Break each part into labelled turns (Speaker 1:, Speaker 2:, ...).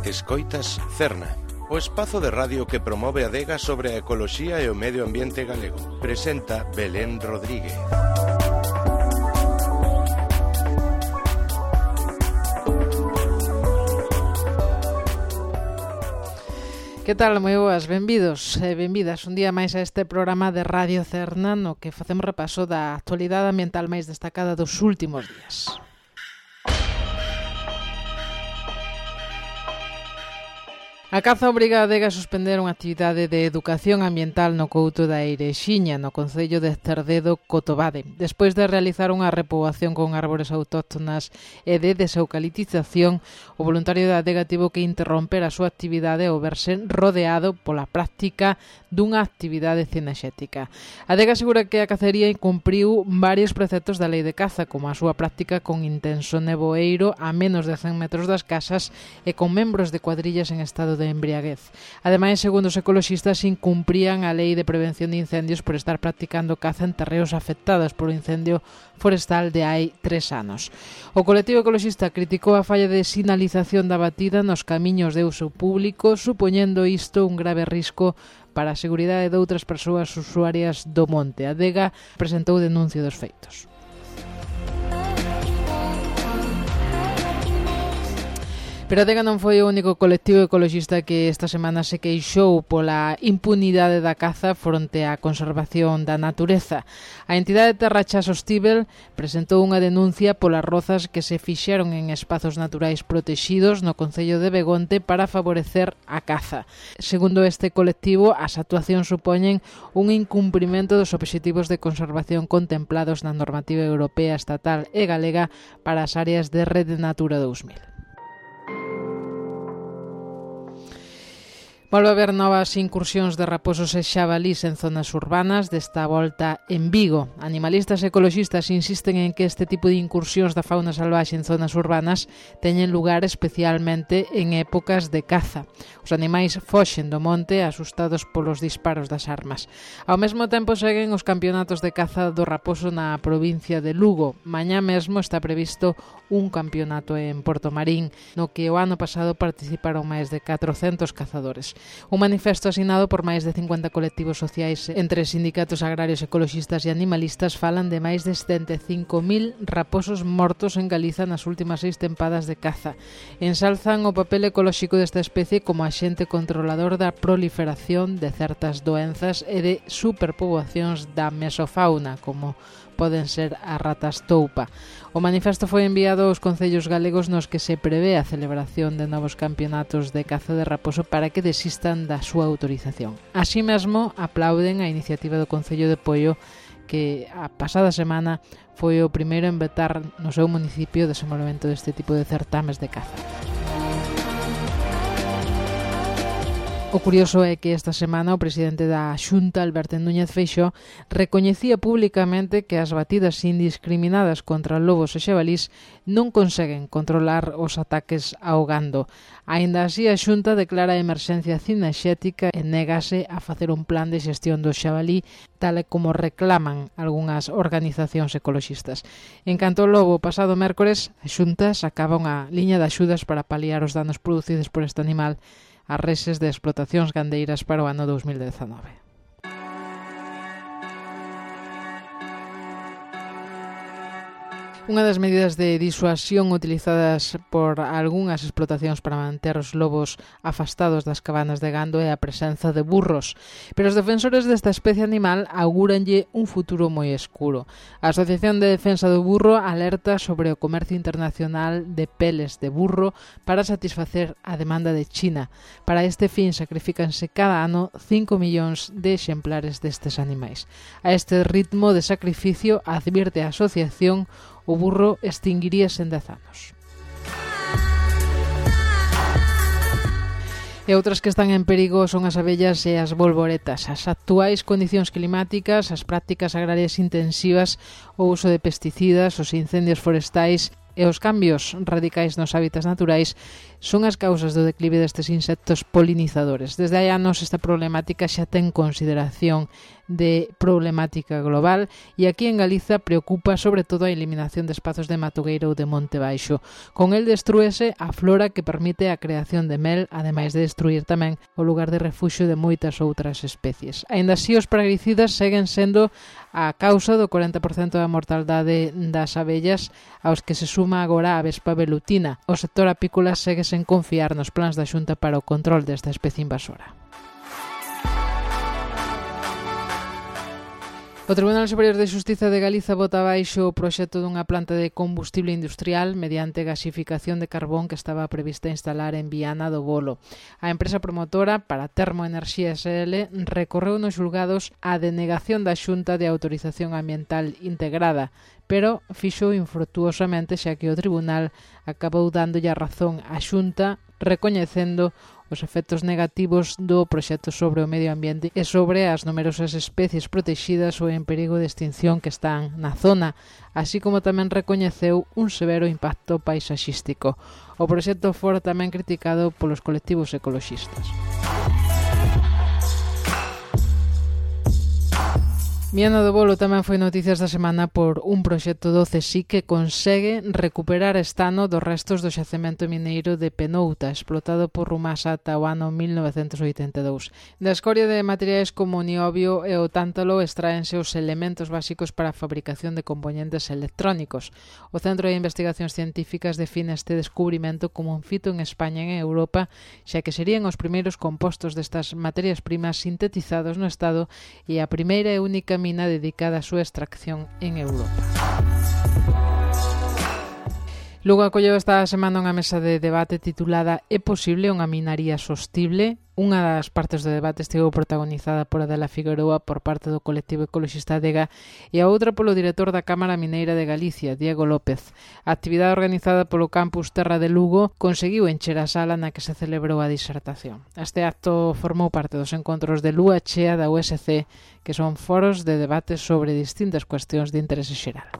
Speaker 1: Escoitas Cerna, o espazo de radio que promove a adega sobre a ecoloxía e o medio ambiente galego. Presenta Belén Rodríguez.
Speaker 2: Que tal? Moi boas, benvidos e benvidas un día máis a este programa de Radio Cerna no que facemos repaso da actualidade ambiental máis destacada dos últimos días. A caza obriga a adega a suspender unha actividade de educación ambiental no couto da Eirexiña, no concello de Cerdedo, Cotobade. Despois de realizar unha repoboación con árbores autóctonas e de deseucaliptización, o voluntario da adega tivo que interromper a súa actividade ao verse rodeado pola práctica dunha actividade cinexética. A adega asegura que a cacería incumpriu varios preceptos da lei de caza, como a súa práctica con intenso nevoeiro a menos de 100 metros das casas e con membros de cuadrillas en estado de embriaguez. Ademais, segundo os ecoloxistas, incumprían a lei de prevención de incendios por estar practicando caza en terreos afectados por un incendio forestal de hai 3 anos. O colectivo ecoloxista criticou a falla de sinalización da batida nos camiños de uso público, supoñendo isto un grave risco para a seguridade de outras persoas usuarias do monte. A adega presentou denuncia dos feitos. Pero a adega non foi o único colectivo ecoloxista que esta semana se queixou pola impunidade da caza fronte á conservación da natureza. A entidade Terracha Sostíbel presentou unha denuncia polas rozas que se fixeron en espazos naturais protexidos no concello de Begonte para favorecer a caza. Segundo este colectivo, as actuacións supoñen un incumprimento dos obxectivos de conservación contemplados na normativa europea, estatal e galega para as áreas de Rede Natura 2000. Volve a haber novas incursións de raposos e xabalís en zonas urbanas, desta volta en Vigo. Animalistas e ecoloxistas insisten en que este tipo de incursións da fauna salvaxe en zonas urbanas teñen lugar especialmente en épocas de caza. Os animais foxen do monte asustados polos disparos das armas. Ao mesmo tempo seguen os campeonatos de caza do raposo na provincia de Lugo. Mañá mesmo está previsto un campeonato en Portomarín, no que o ano pasado participaron máis de 400 cazadores. Un manifesto asinado por máis de 50 colectivos sociais entre sindicatos agrarios, ecoloxistas e animalistas falan de máis de 75.000 raposos mortos en Galiza nas últimas 6 tempadas de caza. Ensalzan o papel ecolóxico desta especie como axente controlador da proliferación de certas doenzas e de superpoboacións da mesofauna, como poden ser as ratas toupa. O manifesto foi enviado aos concellos galegos nos que se prevé a celebración de novos campeonatos de caza de raposo para que desistan da súa autorización. Así mesmo, aplauden a iniciativa do Concello de Poio, que a pasada semana foi o primeiro en vetar no seu municipio o desenvolvemento deste tipo de certames de caza. O curioso é que esta semana o presidente da Xunta, Alberto Núñez Feixóo, recoñecía públicamente que as batidas indiscriminadas contra lobos e xabalís non conseguen controlar os ataques ao gando. Aínda así, a Xunta declara a emerxencia cinexética e négase a facer un plan de xestión do xabalí, tal e como reclaman algunhas organizacións ecoloxistas. En canto ao lobo, pasado mércores, a Xunta sacaba unha liña de axudas para paliar os danos producidos por este animal as reses de explotacións gandeiras para o ano 2019. Unha das medidas de disuasión utilizadas por algunhas explotacións para manter os lobos afastados das cabanas de gando é a presenza de burros, pero os defensores desta especie animal augúranlle un futuro moi escuro. A Asociación de Defensa do Burro alerta sobre o comercio internacional de peles de burro para satisfacer a demanda de China. Para este fin sacrifícanse cada ano 5 millóns de exemplares destes animais. A este ritmo de sacrificio, advierte a asociación, o burro extinguiríase en 10 anos. E outras que están en perigo son as abellas e as bolboretas. As actuais condicións climáticas, as prácticas agrarias intensivas, o uso de pesticidas, os incendios forestais e os cambios radicais nos hábitats naturais son as causas do declive destes insectos polinizadores. Desde hai anos esta problemática xa ten consideración de problemática global e aquí en Galiza preocupa sobre todo a eliminación de espazos de matogueiro ou de monte baixo. Con el destrúese a flora que permite a creación de mel, ademais de destruir tamén o lugar de refuxio de moitas outras especies. Aínda así, os praguicidas seguen sendo a causa do 40% da mortaldade das abellas, aos que se suma agora a vespa velutina. O sector apícola segue sen confiar nos plans da Xunta para o control desta especie invasora. O Tribunal Superior de Xustiza de Galiza bota abaixo o proxecto dunha planta de combustible industrial mediante gasificación de carbón que estaba prevista instalar en Viana do Bolo. A empresa promotora para Termoenerxía SL recorreu nos xulgados a denegación da Xunta de Autorización Ambiental Integrada, pero fixo infrutuosamente xa que o Tribunal acabou dándolle a razón á Xunta recoñecendo os efectos negativos do proxecto sobre o medio ambiente e sobre as numerosas especies protexidas ou en perigo de extinción que están na zona, así como tamén recoñeceu un severo impacto paisaxístico. O proxecto fora tamén criticado polos colectivos ecoloxistas. Viana do Bolo tamén foi noticias da semana por un proxecto do CSIC que consegue recuperar este ano dos restos do xacemento mineiro de Penouta, explotado por Rumasa ata o ano 1982. Da escoria de materiais como o niobio e o tántalo extraense os elementos básicos para a fabricación de componentes electrónicos. O Centro de Investigacións Científicas define este descubrimento como un fito en España e en Europa, xa que serían os primeiros compostos destas materias primas sintetizados no Estado e a primeira e única mina dedicada á súa extracción en Europa. Lugo acolleu esta semana unha mesa de debate titulada "É posible unha minaría sostible?". Unha das partes do debate estivo protagonizada por Adela Figueroa por parte do colectivo ecoloxista Adega e a outra polo director da Cámara Mineira de Galicia, Diego López. A actividade organizada polo campus Terra de Lugo conseguiu encher a sala na que se celebrou a disertación. Este acto formou parte dos encontros de Lúa Chea da USC, que son foros de debate sobre distintas cuestións de interese xeral.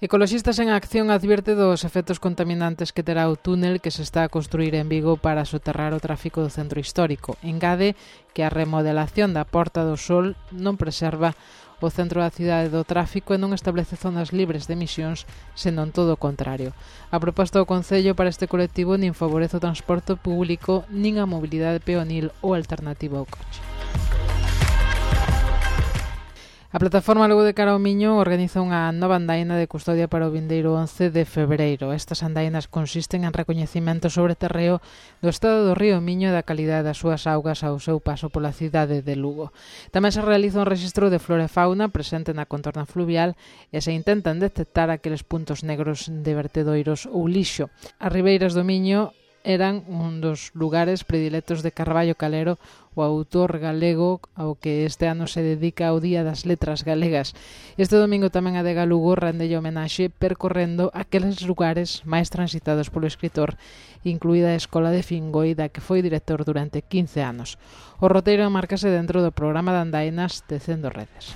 Speaker 2: Ecoloxistas en Acción advierte dos efectos contaminantes que terá o túnel que se está a construir en Vigo para soterrar o tráfico do centro histórico. Engade que a remodelación da Porta do Sol non preserva o centro da cidade do tráfico e non establece zonas libres de emisións, senón todo o contrario. A proposta do Concello para este colectivo nin favorece o transporte público nin a mobilidade peonil ou alternativa ao coche. A plataforma Lugo de Cara ao Miño organiza unha nova andaina de custodia para o vindeiro 11 de febreiro. Estas andainas consisten en recoñecimento sobre terreo do estado do río Miño e da calidade das súas augas ao seu paso pola cidade de Lugo. Tamén se realiza un rexistro de flora e fauna presente na contorna fluvial e se intentan detectar aqueles puntos negros de vertedoiros ou lixo. As ribeiras do Miño eran un dos lugares predilectos de Carballo Calero, o autor galego ao que este ano se dedica ao Día das Letras Galegas. Este domingo tamén a Adega Lugo rendelle homenaxe percorrendo aqueles lugares máis transitados polo escritor, incluída a Escola de Fingoi, da que foi director durante 15 anos. O roteiro marcase dentro do programa de andainas Tecendo Redes.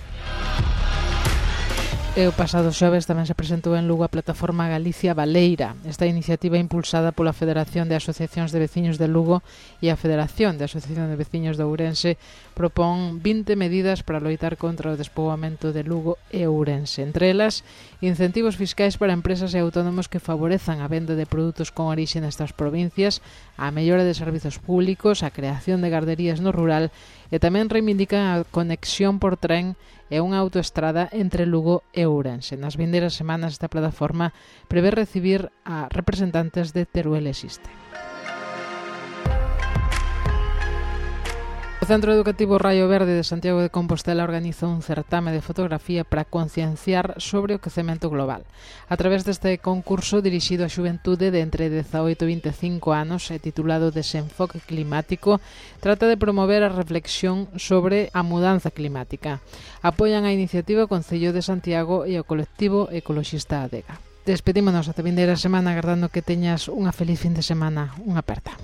Speaker 2: E o pasado xoves tamén se presentou en Lugo a plataforma Galicia Baleira. Esta iniciativa impulsada pola Federación de Asociacións de Veciños de Lugo e a Federación de Asociación de Veciños de Ourense propón 20 medidas para loitar contra o despoboamento de Lugo e Ourense. Entre elas, incentivos fiscais para empresas e autónomos que favorezan a venda de produtos con orixe nestas provincias, a mellora de servizos públicos, a creación de garderías no rural e tamén reivindican a conexión por tren e unha autoestrada entre Lugo e Ourense. Nas vindeiras semanas esta plataforma prevé recibir a representantes de Teruel e Xiste. O Centro Educativo Raio Verde de Santiago de Compostela organiza un certame de fotografía para concienciar sobre o quecemento global. A través deste concurso dirixido á xuventude de entre 18 e 25 anos e titulado Desenfoque Climático, trata de promover a reflexión sobre a mudanza climática. Apoian a iniciativa o Concello de Santiago e o colectivo ecoloxista Adega. Despedímonos ata vindeira semana agardando que teñas unha feliz fin de semana. Unha aperta.